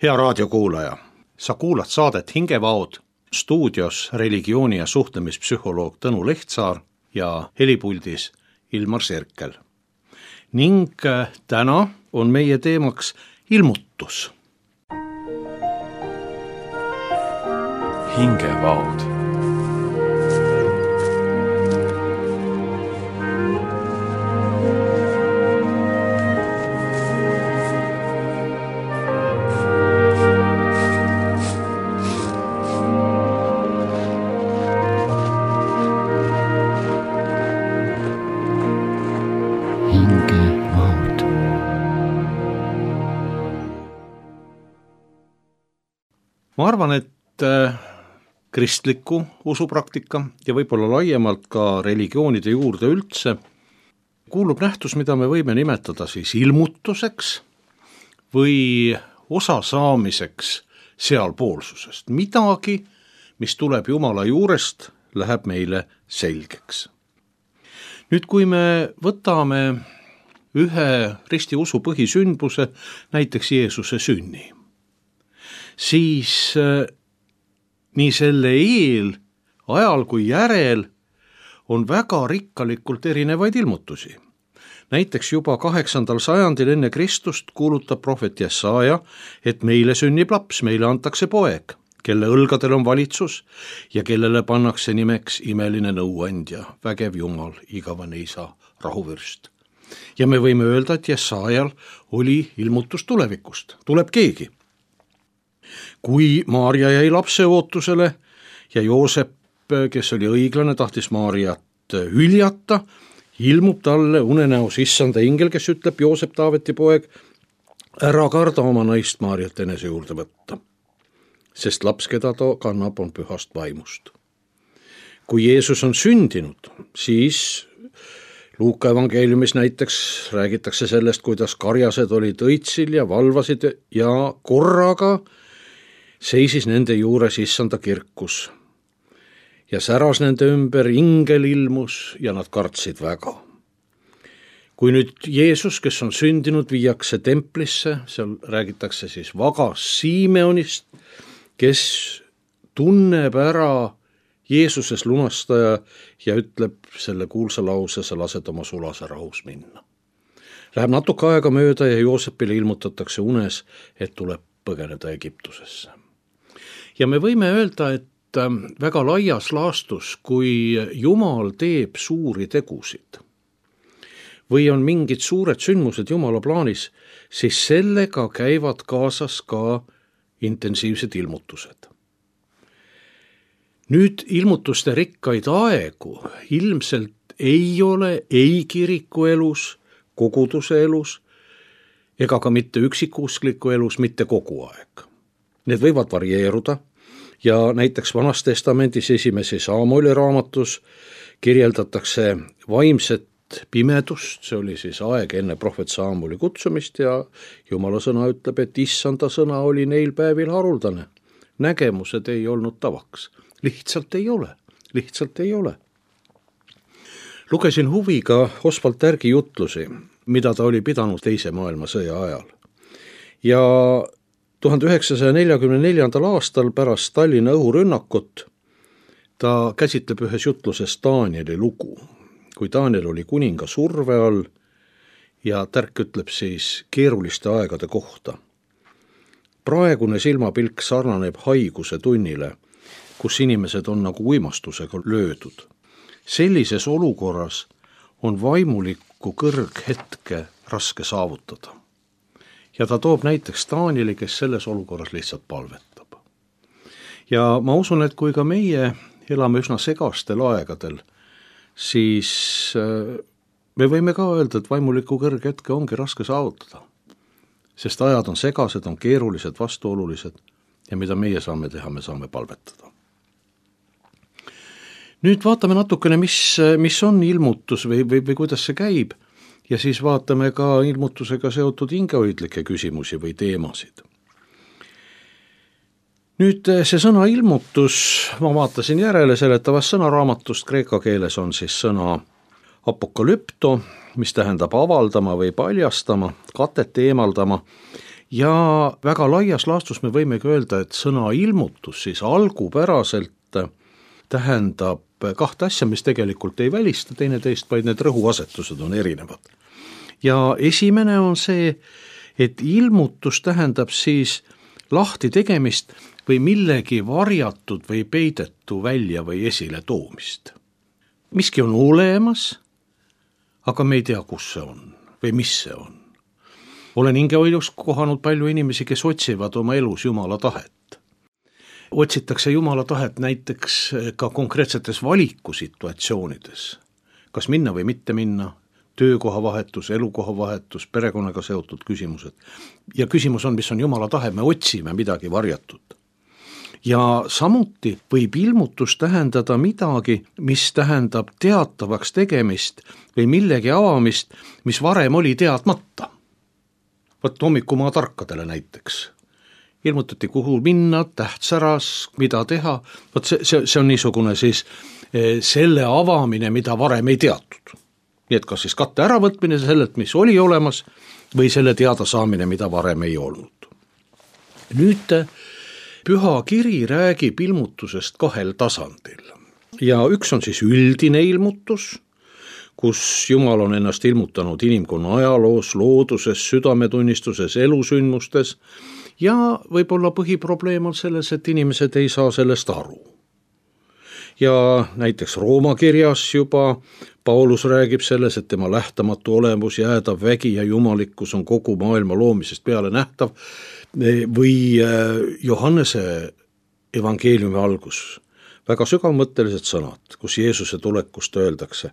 Hea raadiokuulaja, sa kuulad saadet Hingevaod, stuudios religiooni- ja suhtlemispsühholoog Tõnu Lehtsaar ja helipuldis Ilmar Serkel. Ning täna on meie teemaks ilmutus. Hingevaod. Ma arvan, et kristliku usupraktika ja võib-olla laiemalt ka religioonide juurde üldse kuulub nähtus, mida me võime nimetada siis ilmutuseks või osasaamiseks sealpoolsusest. Midagi, mis tuleb Jumala juurest, läheb meile selgeks. Nüüd, kui me võtame ühe ristiusu põhisündmuse, näiteks Jeesuse sünni, siis nii selle ajal kui järel on väga rikkalikult erinevaid ilmutusi. Näiteks juba 8. sajandil enne Kristust kuulutab prohvet Jesaja, et meile sünnib laps, meile antakse poeg, kelle õlgadel on valitsus ja kellele pannakse nimeks imeline nõuandja, vägev Jumal, igavene isa, rahuvürst. Ja me võime öelda, et Jesajal oli ilmutus tulevikust, tuleb keegi. Kui Maarja jäi lapse ootusele ja Joosep, kes oli õiglane, tahtis Maarjat hüljata, ilmub talle unenäos issanda ingel, kes ütleb, Joosep, Taaveti poeg, ära karda oma naist Maarjat enese juurde võtta, sest laps, keda ta kannab, on pühast vaimust. Kui Jeesus on sündinud, siis Luuka evangeeliumis näiteks räägitakse sellest, kuidas karjased olid õitsil ja valvasid ja korraga seisis nende juures issanda kirkus ja säras nende ümber, ingel ilmus ja nad kartsid väga. Kui nüüd Jeesus, kes on sündinud, viiakse templisse, seal räägitakse siis vagas Simeonist, kes tunneb ära Jeesuses lunastaja ja ütleb selle kuulsa lause, sa lased oma sulase rahus minna. Läheb natuke aega mööda ja Joosepile ilmutatakse unes, et tuleb põgeneda Egiptusesse. Ja me võime öelda, et väga laias laastus, kui Jumal teeb suuri tegusid või on mingid suured sündmused Jumala plaanis, siis sellega käivad kaasas ka intensiivsed ilmutused. Nüüd ilmutuste rikkaid aegu ilmselt ei ole ei kiriku elus, koguduse elus ega ka mitte üksikuskliku elus mitte kogu aeg. Need võivad varieeruda ja näiteks Vanas Testamendis 1. Saamueli raamatus kirjeldatakse vaimset pimedust, see oli siis aeg enne prohvet Saamueli kutsumist ja Jumala sõna ütleb, et issanda sõna oli neil päevil haruldane. Nägemused ei olnud tavaks. Lihtsalt ei ole. Lugesin huviga Oswald Tärgi jutlusi, mida ta oli pidanud teise maailmasõja ajal. Ja 1944. aastal pärast Tallinna õhurünnakut ta käsitleb ühes jutluses Danieli lugu, kui Daniel oli kuninga surve all ja Tärk ütleb siis keeruliste aegade kohta. Praegune silmapilk sarnaneb haiguse tunnile, kus inimesed on nagu uimastusega löödud. Sellises olukorras on vaimulikku kõrghetke raske saavutada. Ja ta toob näiteks Danieli, kes selles olukorras lihtsalt palvetab. Ja ma usun, et kui ka meie elame üsna segastel aegadel, siis me võime ka öelda, et vaimulikku kõrghetke ongi raske saavutada. Sest ajad on segased, on keerulised, vastuolulised ja mida meie saame teha, me saame palvetada. Nüüd vaatame natukene, mis on ilmutus või kuidas see käib. Ja siis vaatame ka ilmutusega seotud hingehoidlikke küsimusi või teemasid. Nüüd see sõna ilmutus, ma vaatasin järele seletavast sõnaraamatust, kreeka keeles on siis sõna apokalypto, mis tähendab avaldama või paljastama, katet eemaldama Ja väga laias laastus me võimegi öelda, et sõna ilmutus siis algupäraselt tähendab kahte asja, mis tegelikult ei välista teineteist, vaid need rõhuasetused on erinevad. Ja esimene on see, et ilmutus tähendab siis lahti tegemist või millegi varjatud või peidetu välja või esile toomist. Miski on olemas, aga me ei tea, kus see on või mis see on. Olen hingehoidus kohanud palju inimesi, kes otsivad oma elus Jumala tahet. Otsitakse Jumala tahet näiteks ka konkreetsetes valikusituatsioonides. Kas minna või mitte minna, töökoha vahetus, elukoha vahetus, perekonnaga seotud küsimused. Ja küsimus on, mis on Jumala tahe, me otsime midagi varjatud. Ja samuti võib ilmutus tähendada midagi, mis tähendab teatavaks tegemist või millegi avamist, mis varem oli teadmata. Võt hommikumaa tarkadele näiteks. Ilmutati, kuhu minna, tähtsäras, mida teha. Võt see on niisugune siis selle avamine, mida varem ei teatud. Nii et kas siis katte äravõtmine sellelt, mis oli olemas, või selle teada saamine, mida varem ei olnud. Nüüd Püha kiri räägib ilmutusest kahel tasandil. Ja üks on siis üldine ilmutus, kus Jumal on ennast ilmutanud inimkonna ajaloos, looduses, südametunnistuses, elusündmustes ja võib-olla põhiprobleem on selles, et inimesed ei saa sellest aru. Ja näiteks Rooma kirjas juba Paulus räägib selles, et tema lähtamatu olemus, jäädav vägi ja jumalikkus on kogu maailma loomisest peale nähtav, või Johannese evangeeliumi algus, väga sügavmõttelised sõnad, kus Jeesuse tulekust öeldakse,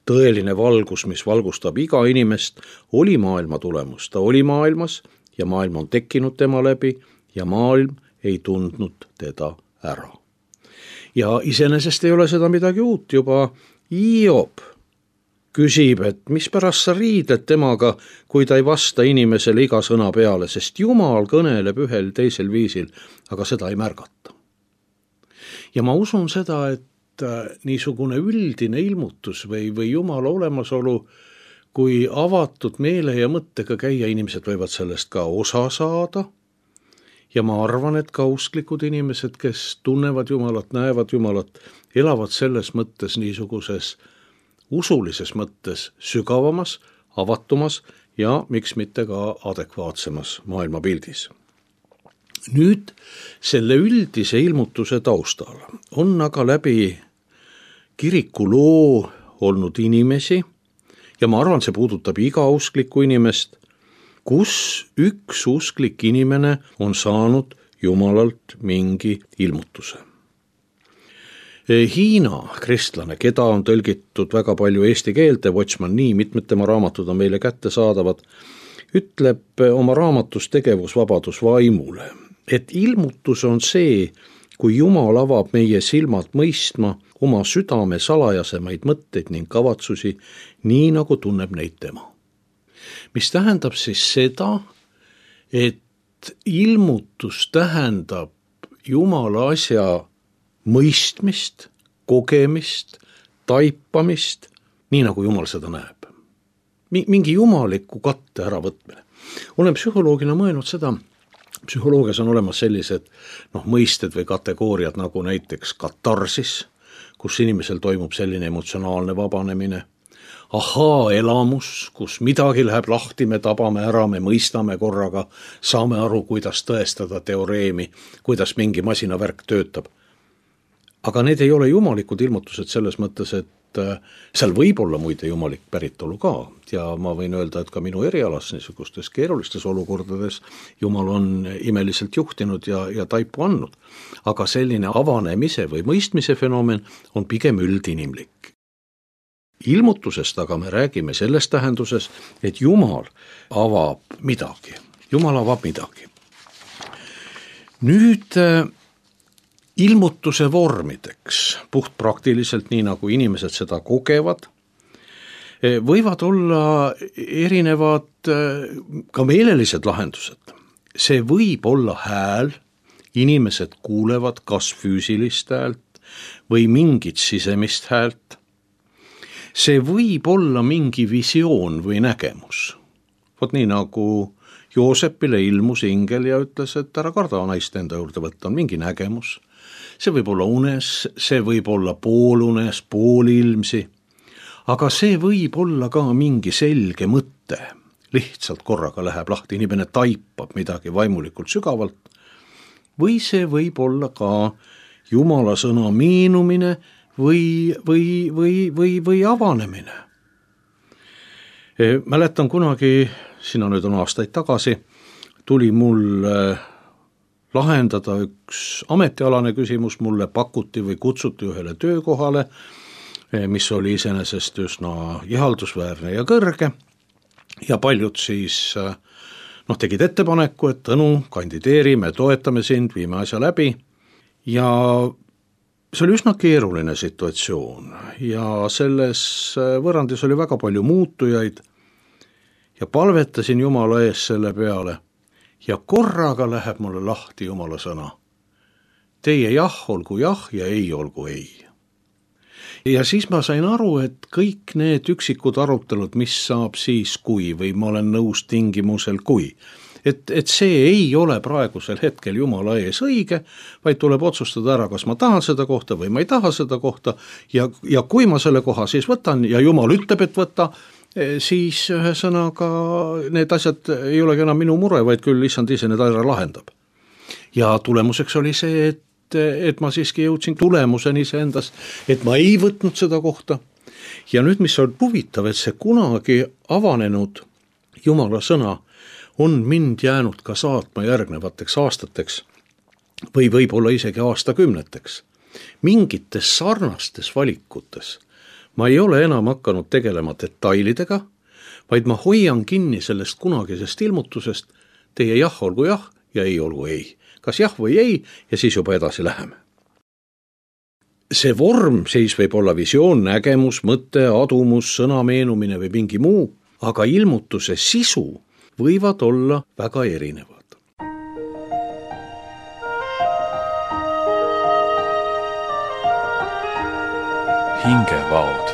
tõeline valgus, mis valgustab iga inimest, oli maailma tulemus. Ta oli maailmas ja maailm on tekkinud tema läbi ja maailm ei tundnud teda ära. Ja iseenesest ei ole seda midagi uut, juba Hiob küsib, et mispärast sa riidled temaga, kui ta ei vasta inimesele iga sõna peale, sest Jumal kõneleb ühel teisel viisil, aga seda ei märgata. Ja ma usun seda, et niisugune üldine ilmutus või Jumala olemasolu, kui avatud meele ja mõttega käia, inimesed võivad sellest ka osa saada. Ja ma arvan, et ka usklikud inimesed, kes tunnevad Jumalat, näevad Jumalat, elavad selles mõttes niisuguses usulises mõttes sügavamas, avatumas ja miks mitte ka adekvaatsemas maailmapildis. Nüüd selle üldise ilmutuse taustal on aga läbi kiriku loo olnud inimesi ja ma arvan, see puudutab iga usklikku inimest, kus üks usklik inimene on saanud Jumalalt mingi ilmutuse. Hiina kristlane, keda on tõlgitud väga palju eesti keelde, Watchman Nee, mitmed tema raamatud on meile kätte saadavad, ütleb oma raamatus Tegevusvabadus vaimule, et ilmutus on see, kui Jumal avab meie silmad mõistma oma südame salajasemaid mõtteid ning kavatsusi, nii nagu tunneb neid tema. Mis tähendab siis seda, et ilmutus tähendab Jumala asja mõistmist, kogemist, taipamist, nii nagu Jumal seda näeb. Mingi jumaliku katte äravõtmine. Olen psühholoogina mõelnud seda, psühholoogias on olemas sellised mõisted või kategooriad nagu näiteks katarsis, kus inimesel toimub selline emotsionaalne vabanemine, elamus, kus midagi läheb lahti, me tabame ära, me mõistame korraga, saame aru, kuidas tõestada teoreemi, kuidas mingi masinavärk töötab. Aga need ei ole jumalikud ilmutused selles mõttes, et seal võib olla muide jumalik päritolu ka ja ma võin öelda, et ka minu erialas niisugustes keerulistes olukordades Jumal on imeliselt juhtinud ja taipu andnud. Aga selline avanemise või mõistmise fenomen on pigem üldinimlik. Ilmutusest aga me räägime selles tähenduses, et Jumal avab midagi. Jumal avab midagi. Nüüd ilmutuse vormideks, puhtpraktiliselt nii nagu inimesed seda kogevad, võivad olla erinevad ka meelelised lahendused. See võib olla hääl, inimesed kuulevad kas füüsilist häält või mingit sisemist häält. See võib olla mingi visioon või nägemus. Vot nii nagu Joosepile ilmus ingel ja ütles, et ära karda naist enda juurde võtta, on mingi nägemus. See võib olla unes, see võib olla poolunes, poolilmsi, aga see võib olla ka mingi selge mõte. Lihtsalt korraga läheb lahti, inimene taipab midagi vaimulikult sügavalt. Või see võib olla ka Jumala sõna meenumine või avanemine. Mäletan kunagi, sinna nüüd on aastaid tagasi, tuli mul lahendada üks ametialane küsimus, mulle pakuti või kutsuti ühele töökohale, mis oli iseenesest üsna ihaldusväärne ja kõrge ja paljud siis tegid ettepaneku, et Tõnu, kandideeri, me toetame sind, viime asja läbi ja see oli üsna keeruline situatsioon ja selles võrrandis oli väga palju muutujaid ja palvetasin Jumala ees selle peale ja korraga läheb mulle lahti Jumala sõna. Teie jah olgu jah ja ei olgu ei. Ja siis ma sain aru, et kõik need üksikud arutelud, mis saab siis kui või ma olen nõus tingimusel kui, et see ei ole praegusel hetkel Jumala ees õige, vaid tuleb otsustada ära, kas ma tahan seda kohta või ma ei taha seda kohta ja kui ma selle koha siis võtan ja Jumal ütleb, et võta, siis ühesõnaga need asjad ei olegi enam minu mure, vaid küll issand ise need ära lahendab. Ja tulemuseks oli see, et ma siiski jõudsin tulemuseni iseendas, et ma ei võtnud seda kohta. Ja nüüd, mis on huvitav, et see kunagi avanenud Jumala sõna on mind jäänud ka saatma järgnevateks aastateks või võib-olla isegi aastakümneteks. Mingites sarnastes valikutes ma ei ole enam hakanud tegelema detailidega, vaid ma hoian kinni sellest kunagisest ilmutusest, teie jah olgu jah ja ei olgu ei. Kas jah või ei ja siis juba edasi läheme. See vorm siis võib olla visioon, nägemus, mõte, adumus, sõna meenumine või mingi muu, aga ilmutuse sisu võivad olla väga erinevad. Hingevaod.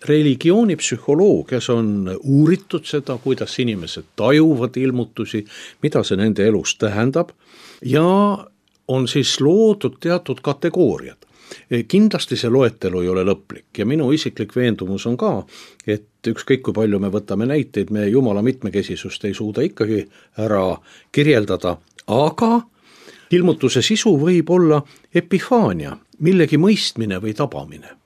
Religioonipsühholoogias on uuritud seda, kuidas inimesed tajuvad ilmutusi, mida see nende elus tähendab ja on siis loodud teatud kategooriad. Kindlasti see loetelu ei ole lõplik ja minu isiklik veendumus on ka, et ükskõik kui palju me võtame näiteid, me Jumala mitmekesisust ei suuda ikkagi ära kirjeldada, aga ilmutuse sisu võib olla epifaania, millegi mõistmine või tabamine.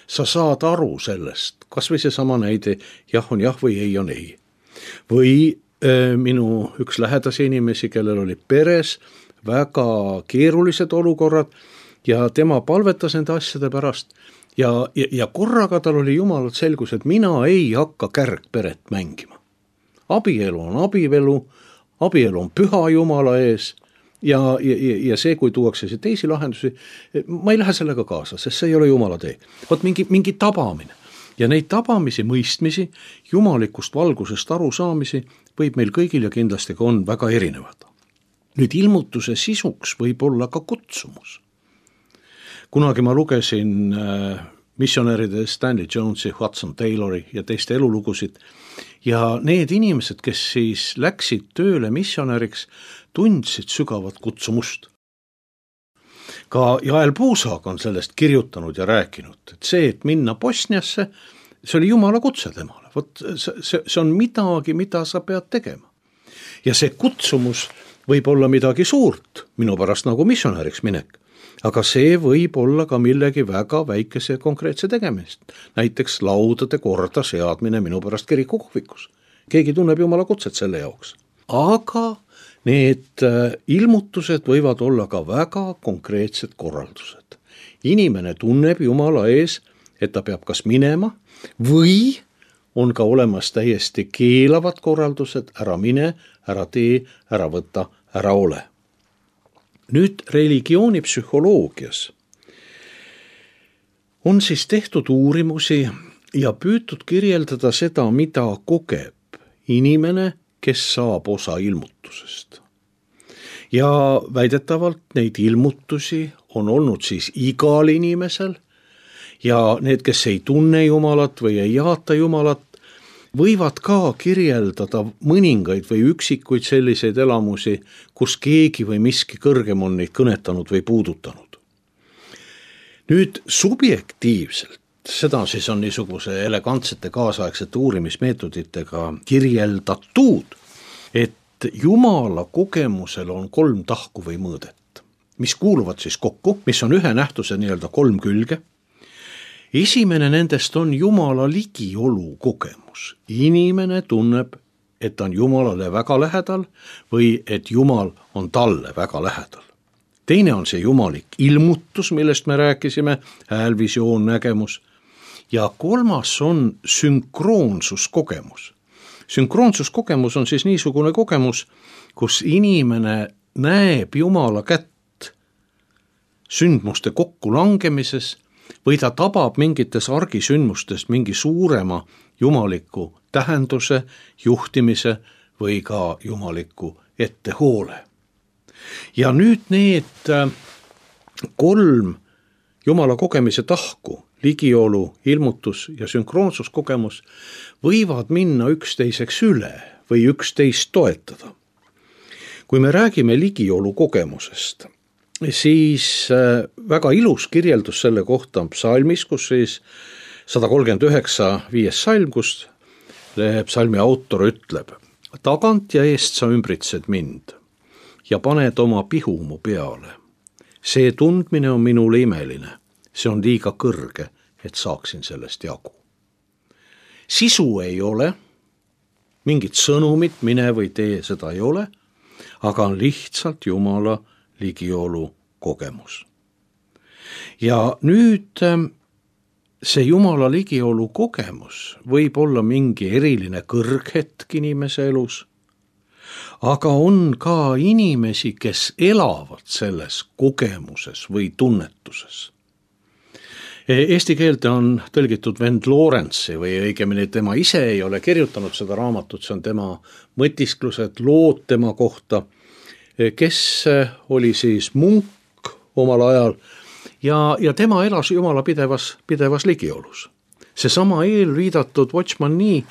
Sa saad aru sellest, kas või seesama näide, jah on jah või ei on ei. Või minu üks lähedasi inimesi, kellel oli peres väga keerulised olukorrad ja tema palvetas nende asjade pärast ja korraga tal oli Jumalalt selgus, et mina ei hakka kärgperet mängima. Abielu on abielu, abielu on püha Jumala ees ja see, kui tuuakse see teisi lahendusi, ma ei lähe sellega kaasa, sest see ei ole Jumala tee. Vot mingi tabamine ja neid tabamisi, mõistmisi, jumalikust valgusest arusaamisi võib meil kõigil ja kindlasti ka on väga erinevad. Nüüd ilmutuse sisuks võib olla ka kutsumus. Kunagi ma lugesin missionäride Stanley Jonesi, Hudson Taylori ja teiste elulugusid ja need inimesed, kes siis läksid tööle missionäriks, tundsid sügavat kutsumust. Ka Jael Puusaag on sellest kirjutanud ja rääkinud, et see, et minna Bosniasse, see oli Jumala kutse temale. Vot see on midagi, mida sa pead tegema. Ja see kutsumus võib olla midagi suurt, minu pärast nagu missionäriks minek. Aga see võib olla ka millegi väga väikese konkreetse tegemist. Näiteks laudade korda seadmine minu pärast kirikukohvikus. Keegi tunneb Jumala kutset selle jaoks. Aga need ilmutused võivad olla ka väga konkreetsed korraldused. Inimene tunneb Jumala ees, et ta peab kas minema või on ka olemas täiesti keelavad korraldused, ära mine, ära tee, ära võta, ära ole. Nüüd religioonipsühholoogias on siis tehtud uurimusi ja püütud kirjeldada seda, mida kogeb inimene, kes saab osa ilmutusest. Ja väidetavalt neid ilmutusi on olnud siis igal inimesel ja need, kes ei tunne Jumalat või ei jaata Jumalat, võivad ka kirjeldada mõningaid või üksikuid selliseid elamusi, kus keegi või miski kõrgem on neid kõnetanud või puudutanud. Nüüd subjektiivselt, seda siis on niisuguse elegantsete kaasaegsete uurimismeetoditega kirjeldatud, et Jumala kogemusel on 3 tahku või mõõdet, mis kuuluvad siis kokku, mis on ühe nähtuse nii-öelda 3 külge. Esimene nendest on Jumala ligiolu kogemus. Inimene tunneb, et ta on Jumalale väga lähedal või et Jumal on talle väga lähedal. Teine on see jumalik ilmutus, millest me rääkisime, hääl, visioon, nägemus. Ja 3. on sünkroonsuskogemus. Sünkroonsuskogemus on siis niisugune kogemus, kus inimene näeb Jumala kätt sündmuste kokkulangemises või ta tabab mingites argisündmustes mingi suurema jumaliku tähenduse, juhtimise või ka jumaliku ettehoole. Ja nüüd need 3 Jumala kogemise tahku, ligiolu, ilmutus ja sünkroonsuskogemus võivad minna üksteiseks üle või üksteist toetada. Kui me räägime ligiolu kogemusest, siis väga ilus kirjeldus selle kohta on psalmis, kus siis 139. 5. salm, kus psalmi autor ütleb: tagant ja eest sa ümbritsed mind ja paned oma pihu mu peale. See tundmine on minule imeline, see on liiga kõrge, et saaksin sellest jagu. Sisu ei ole, mingit sõnumit, mine või tee, seda ei ole, aga on lihtsalt Jumala ligiolu kogemus. Ja nüüd see Jumala ligiolu kogemus võib olla mingi eriline kõrghetk inimese elus, aga on ka inimesi, kes elavad selles kogemuses või tunnetuses. Eesti keelde on tõlgitud vend Lawrence'i või õigemini tema ise ei ole kirjutanud seda raamatut, see on tema mõtisklused, lood tema kohta, kes oli siis munk omal ajal ja tema elas Jumala pidevas ligiolus. Seesama eelviidatud Watchman Nee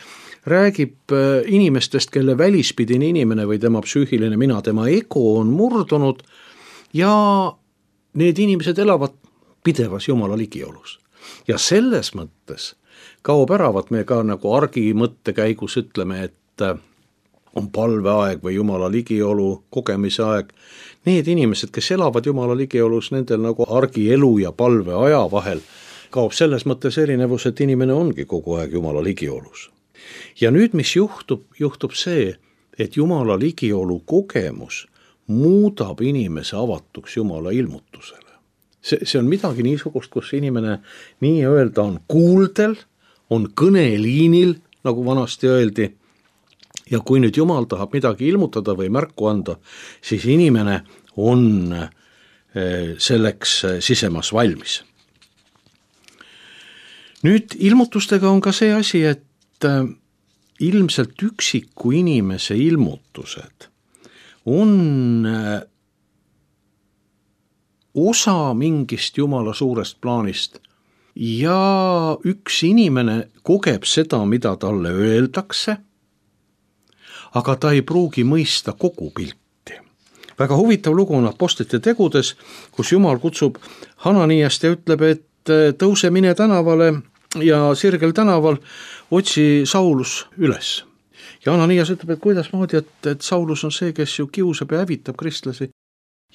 räägib inimestest, kelle välispidine inimene või tema psüühiline mina, tema ego on murdunud ja need inimesed elavad pidevas Jumala ligiolus. Ja selles mõttes kaob ära, vaat me ka nagu argi mõttekäigus ütleme, et on palveaeg või Jumala ligiolu kogemise aeg. Need inimesed, kes elavad Jumala ligiolus, nendel nagu argi elu ja palve aja vahel kaob selles mõttes erinevus, et inimene ongi kogu aeg Jumala ligiolus. Ja nüüd, mis juhtub see, et Jumala ligiolu kogemus muudab inimese avatuks Jumala ilmutusele. See on midagi niisugust, kus inimene nii-öelda on kuuldel, on kõneliinil, nagu vanasti öeldi, ja kui nüüd Jumal tahab midagi ilmutada või märku anda, siis inimene on selleks sisemas valmis. Nüüd ilmutustega on ka see asi, et ilmselt üksiku inimese ilmutused on osa mingist Jumala suurest plaanist ja üks inimene kogeb seda, mida talle öeldakse, aga ta ei pruugi mõista kogu pilti. Väga huvitav lugu on Apostlite tegudes, kus Jumal kutsub Hananiast ja ütleb, et tõuse, mine tänavale ja sirgel tänaval otsi Saulus üles. Ja Hananias ütleb, et kuidas moodi, et Saulus on see, kes ju kiusab ja hävitab kristlasi.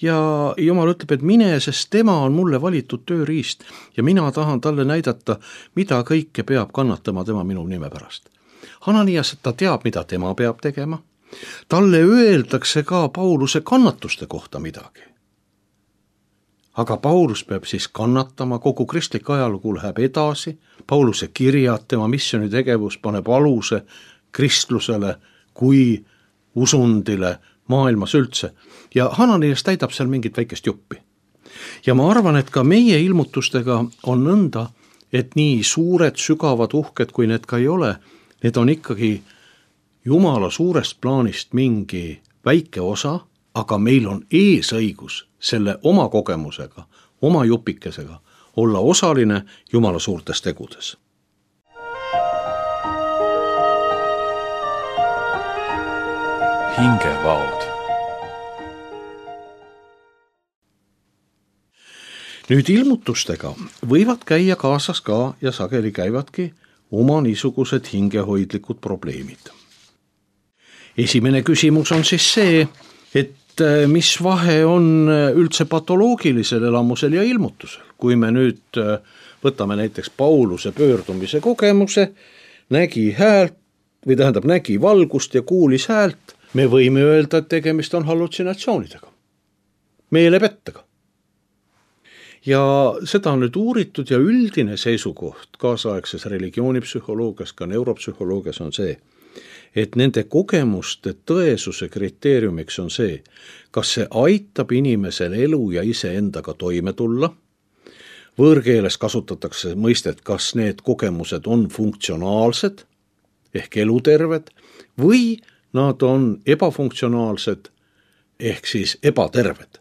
Ja Jumal ütleb, et mine, sest tema on mulle valitud tööriist ja mina tahan talle näidata, mida kõike peab kannatama tema minu nime pärast. Hananias, ta teab, mida tema peab tegema. Talle öeldakse ka Pauluse kannatuste kohta midagi. Aga Paulus peab siis kannatama, kogu kristlik ajalugu läheb edasi, Pauluse kirjad, tema missionitegevus paneb aluse kristlusele kui usundile maailmas üldse. Ja Hananias täidab seal mingit väikest juppi. Ja ma arvan, et ka meie ilmutustega on nõnda, et nii suured, sügavad, uhked, kui need ka ei ole, need on ikkagi Jumala suurest plaanist mingi väike osa, aga meil on eesõigus selle oma kogemusega oma jupikesega olla osaline Jumala suurtes tegudes. hingevaod. Nüüd ilmutustega võivad käia kaasas ka ja sageli käivadki oma niisugused hingehoidlikud probleemid. Esimene küsimus on siis see, et mis vahe on üldse patoloogilisel elamusel ja ilmutusel. Kui me nüüd võtame näiteks Pauluse pöördumise kogemuse, nägi valgust ja kuulis häält, me võime öelda, et tegemist on hallutsinatsioonidega, meelepettega. Ja seda on nüüd uuritud ja üldine seisukoht kaasaegses religioonipsühholoogias, ka neuropsühholoogias on see, et nende kogemuste tõesuse kriteeriumiks on see, kas see aitab inimesel elu ja iseendaga toime tulla. Võõrkeeles kasutatakse mõistet, kas need kogemused on funktsionaalsed ehk eluterved või nad on ebafunktsionaalsed ehk siis ebaterved.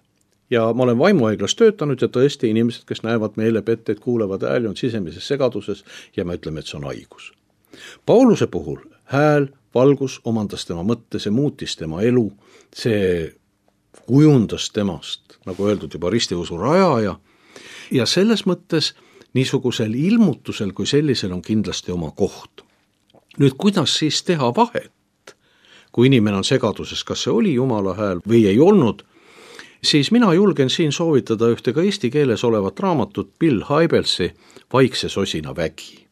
Ja ma olen vaimuhaiglas töötanud ja tõesti inimesed, kes näevad meelepetteid, kuulevad hääli, on sisemises segaduses ja me ütleme, et see on haigus. Pauluse puhul hääl, valgus omandas tema mõtte, see muutis tema elu, see kujundas temast, nagu öeldud, juba ristiusu rajaja. Ja selles mõttes niisugusel ilmutusel kui sellisel on kindlasti oma koht. Nüüd, kuidas siis teha vahet, kui inimene on segaduses, kas see oli Jumala hääl või ei olnud, siis mina julgen siin soovitada ühte ka eesti keeles olevat raamatut Bill Hybelsi Vaikse sosina vägi.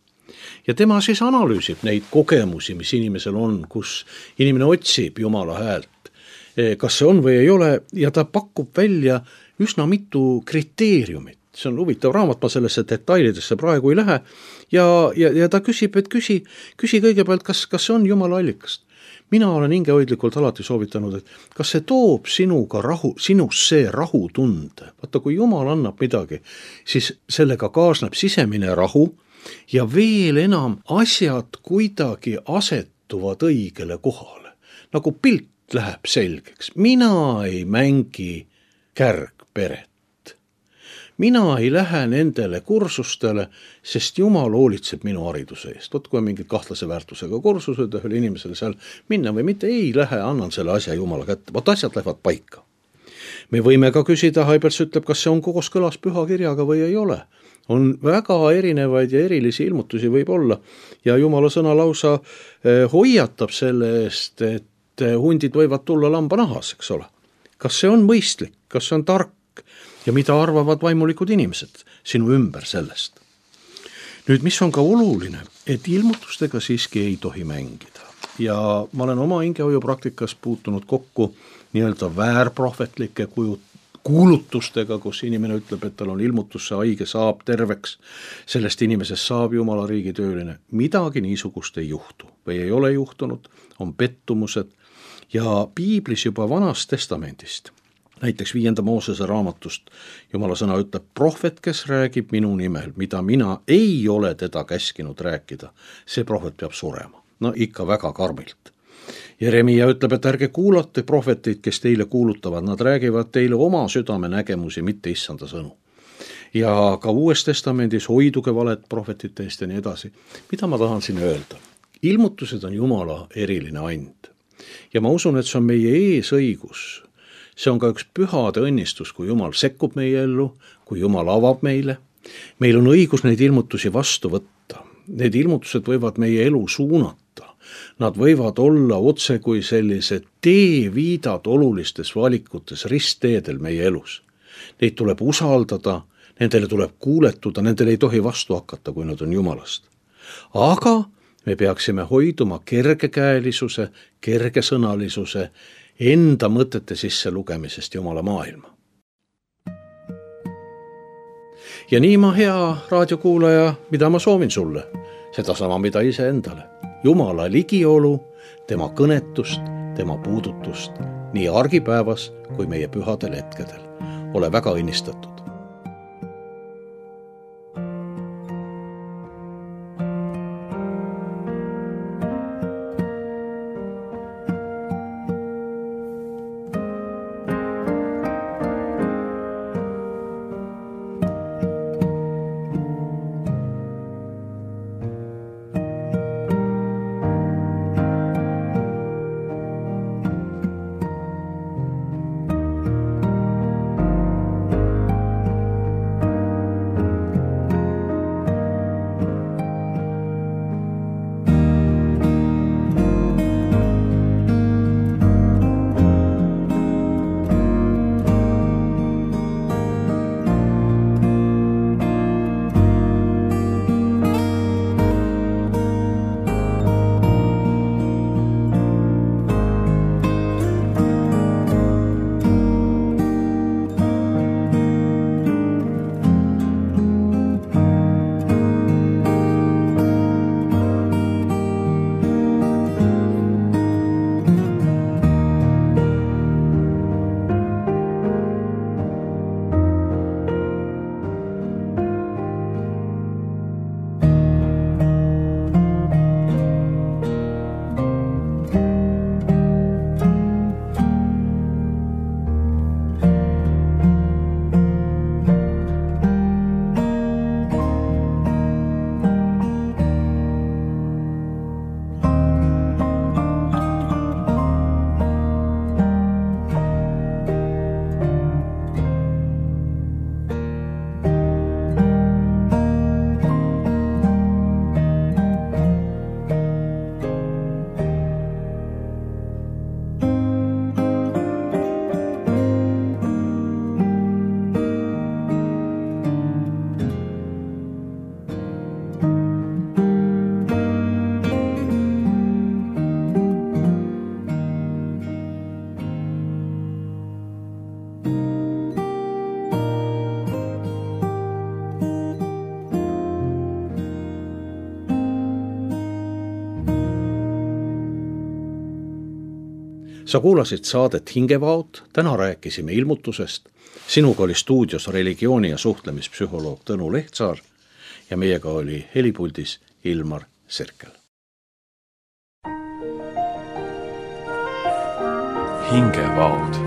Ja tema siis analüüsib neid kogemusi, mis inimesel on, kus inimene otsib Jumala häält, kas see on või ei ole, ja ta pakub välja üsna mitu kriteeriumit. See on huvitav raamat, ma sellesse detailidesse praegu ei lähe, ja ta küsib, et küsi kõigepealt, kas see on Jumala allikast. Mina olen hingehoidlikult alati soovitanud, et kas see toob sinusse rahutunde. Vaata, kui Jumal annab midagi, siis sellega kaasneb sisemine rahu ja veel enam asjad kuidagi asetuvad õigele kohale. Nagu pilt läheb selgeks. Mina ei mängi kärgperet. Mina ei lähe nendele kursustele, sest Jumal hoolitseb minu hariduse eest. Vot kui on mingid kahtlase väärtusega kursused ja ühel inimesele seal minna või mitte, ei lähe, annan selle asja Jumala kätte. Vot asjad lähevad paika. Me võime ka küsida, Hybels ütleb, kas see on kooskõlas püha kirjaga või ei ole. On väga erinevaid ja erilisi ilmutusi võib olla ja Jumala sõna lausa hoiatab selle eest, et hundid võivad tulla lambanahas, eks ole. Kas see on mõistlik, kas see on tark? Ja mida arvavad vaimulikud inimesed sinu ümber sellest. Nüüd, mis on ka oluline, et ilmutustega siiski ei tohi mängida. Ja ma olen oma hingehoiu praktikas puutunud kokku nii-öelda väärprohvetlike kuulutustega, kus inimene ütleb, et tal on ilmutus, see haige saab terveks, sellest inimesest saab Jumala riigi tööline. Midagi niisugust ei juhtu või ei ole juhtunud, on pettumused ja piiblis juba Vanast testamendist. Näiteks 5. Moosese raamatust Jumala sõna ütleb, prohvet, kes räägib minu nimel, mida mina ei ole teda käskinud rääkida, see prohvet peab surema. No ikka väga karmilt. Jeremia ütleb, et ärge kuulate prohveteid, kes teile kuulutavad, nad räägivad teile oma südame nägemusi, mitte issanda sõnu. Ja ka Uues testamendis hoiduge valet prohvetite eest ja nii edasi. Mida ma tahan siin öelda? Ilmutused on Jumala eriline and. Ja ma usun, et see on meie eesõigus. See on ka üks pühade õnnistus, kui Jumal sekkub meie ellu, kui Jumal avab meile. Meil on õigus neid ilmutusi vastu võtta. Need ilmutused võivad meie elu suunata. Nad võivad olla otse kui sellised teeviidad olulistes valikutes ristteedel meie elus. Neid tuleb usaldada, nendele tuleb kuuletuda, nendele ei tohi vastu hakata, kui nad on Jumalast. Aga me peaksime hoiduma kergekäelisuse, kergesõnalisuse, enda mõtete sisse lugemisest Jumala maailma. Ja nii ma, hea raadiokuulaja, mida ma soovin sulle? Sedasama, mida ise endale. Jumala ligiolu, tema kõnetust, tema puudutust, nii argipäevas kui meie pühadel hetkedel. Ole väga õnnistatud. sa kuulasid saadet Hingevaod, täna rääkisime ilmutusest. Sinuga oli stuudios religiooni- ja suhtlemispsühholoog Tõnu Lehtsaar ja meiega oli helipuldis Ilmar Serkel. Hingevaod.